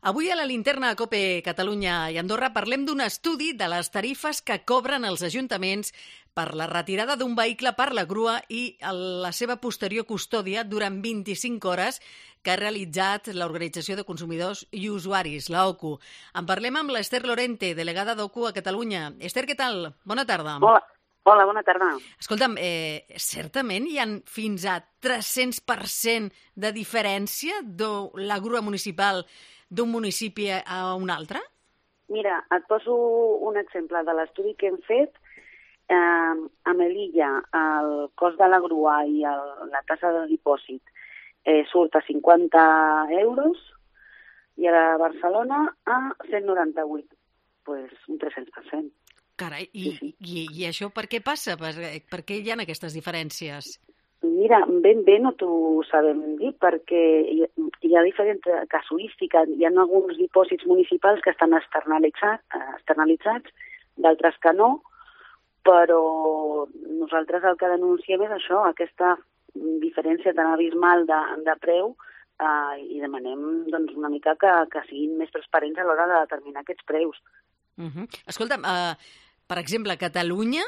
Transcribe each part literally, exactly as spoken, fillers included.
Avui a la linterna a COPE Catalunya i Andorra parlem d'un estudi de les tarifes que cobren els ajuntaments per la retirada d'un vehicle per la grua i la seva posterior custòdia durant vint-i-cinc hores que ha realitzat l'Organització de Consumidors i Usuaris, l'O C U. En parlem amb l'Ester Lorente, delegada d'O C U a Catalunya. Ester, què tal? Bona tarda. Hola. Hola, bona tarda. Escolta'm, eh, certament hi ha fins a tres-cents per cent de diferència de la grua municipal d'un municipi a un altre? Mira, et poso un exemple de l'estudi que hem fet. Eh, a Melilla, el cost de la grua i el, la tassa de dipòsit eh, surt a cinquanta euros i a Barcelona a cent noranta-vuit. Doncs pues un tres-cents per cent. Carai, i, sí, sí. I, i això per què passa? Per, per què hi ha aquestes diferències? Mira, ben bé no t'ho sabem dir, perquè hi, hi ha diferent casuística. Hi ha alguns dipòsits municipals que estan externalitzats, externalitzats d'altres que no, però nosaltres el que denunciem és això, aquesta diferència tan abismal de, de preu eh, i demanem doncs, una mica que, que siguin més transparents a l'hora de determinar aquests preus. Uh -huh. Escolta'm, uh, per exemple, a Catalunya,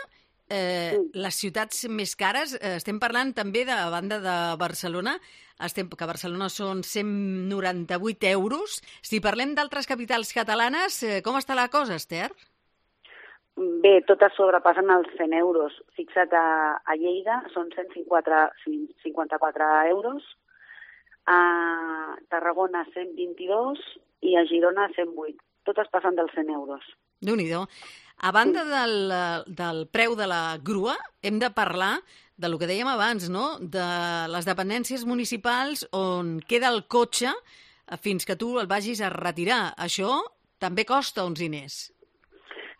eh, sí. les ciutats més cares, eh, estem parlant també de a banda de Barcelona, estem, que a Barcelona són cent noranta-vuit euros. Si parlem d'altres capitals catalanes, eh, com està la cosa, Ester? Bé, totes sobrepassen els cent euros. Fixa't, a, a Lleida són cent cinquanta-quatre euros, a Tarragona cent vint-i-dos i a Girona cent vuit. Totes passen dels cent euros. Déu-n'hi-do. A banda del, del preu de la grua, hem de parlar del que dèiem abans, no? De les dependències municipals on queda el cotxe fins que tu el vagis a retirar. Això també costa uns diners.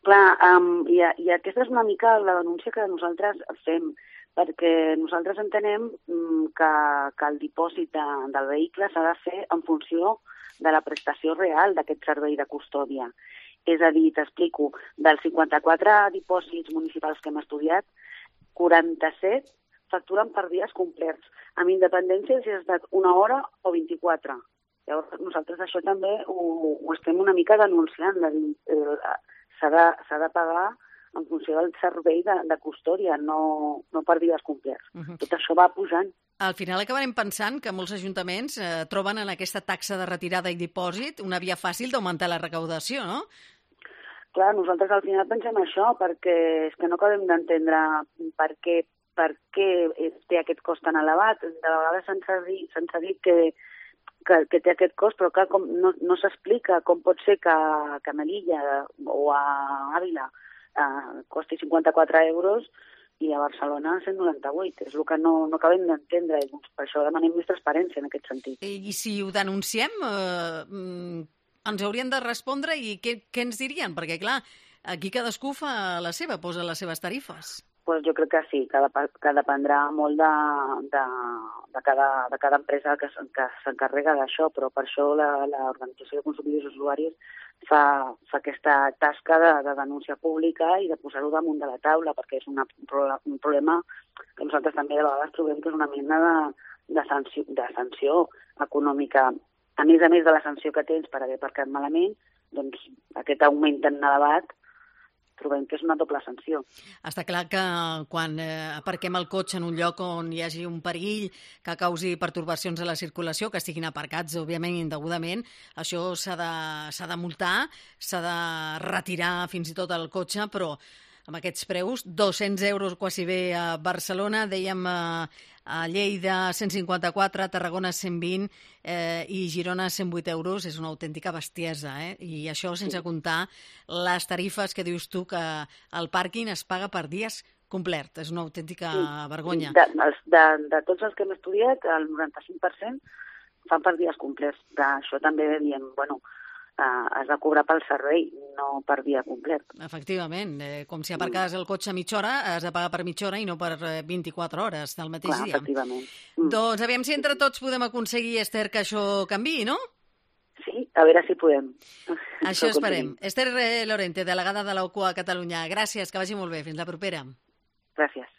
Clar, um, i, i aquesta és una mica la denúncia que nosaltres fem, perquè nosaltres entenem um, que, que el dipòsit de, del vehicle s'ha de fer en funció de la prestació real d'aquest servei de custòdia. És a dir, t'explico, dels cinquanta-quatre dipòsits municipals que hem estudiat, quaranta-set facturen per dies complets, amb independència si ha estat una hora o vint-i-quatre. Llavors, nosaltres això també ho, ho estem una mica denunciant. S'ha de, s'ha de pagar en funció del servei de, de custòdia, no, no per dies complets. Uh-huh. Tot això va pujant. Al final acabarem pensant que molts ajuntaments eh, troben en aquesta taxa de retirada i dipòsit una via fàcil d'augmentar la recaudació, no? Clar, nosaltres al final pensem això, perquè és que no acabem d'entendre per què, per què té aquest cost tan elevat. De vegades se'ns ha dit, se'ns ha dit que, que, que té aquest cost, però clar, com, no, no s'explica com pot ser que, que a Melilla o a Àvila eh, costi cinquanta-quatre euros i a Barcelona cent noranta-vuit. És el que no, no acabem d'entendre, i per això demanem més transparència en aquest sentit. I si ho denunciem, eh, ens haurien de respondre i què, què ens dirien? Perquè, clar, aquí cadascú fa la seva, posa les seves tarifes. Pues jo crec que sí, que, dep que dependrà molt de, de, de, cada, de cada empresa que, que s'encarrega d'això, però per això l'Organització de Consumidors i Usuaris fa, fa aquesta tasca de, de denúncia pública i de posar-ho damunt de la taula, perquè és una, un problema que nosaltres també de vegades trobem que és una mena de, de, sanció, de sanció econòmica. A més a més de la sanció que tens per haver aparcat malament, doncs aquest augment tan elevat trobem que és una doble sanció. Està clar que quan eh, aparquem el cotxe en un lloc on hi hagi un perill que causi pertorbacions a la circulació, que estiguin aparcats, òbviament, indegudament, això s'ha de, s'ha de multar, s'ha de retirar fins i tot el cotxe, però amb aquests preus, dos-cents euros quasi bé a Barcelona, dèiem eh, a Lleida cent cinquanta-quatre, Tarragona cent vint eh, i Girona cent vuit euros, és una autèntica bestiesa, eh? I això sense sí. comptar les tarifes que dius tu que el pàrquing es paga per dies complet. És una autèntica sí. vergonya. De, de, de tots els que hem estudiat, el noranta-cinc per cent fan per dies complets. D'això també diem, bueno, Uh, has de cobrar pel servei, no per dia complet. Efectivament, eh, com si aparcaves el cotxe a mitja hora, has de pagar per mitja hora i no per eh, vint-i-quatre hores del mateix Clar, dia. Efectivament. Mm. Doncs aviam si entre tots podem aconseguir, Ester, que això canviï, no? Sí, a veure si podem. Això esperem. Ester Lorente, delegada de l'O C U a Catalunya. Gràcies, que vagi molt bé. Fins la propera. Gràcies.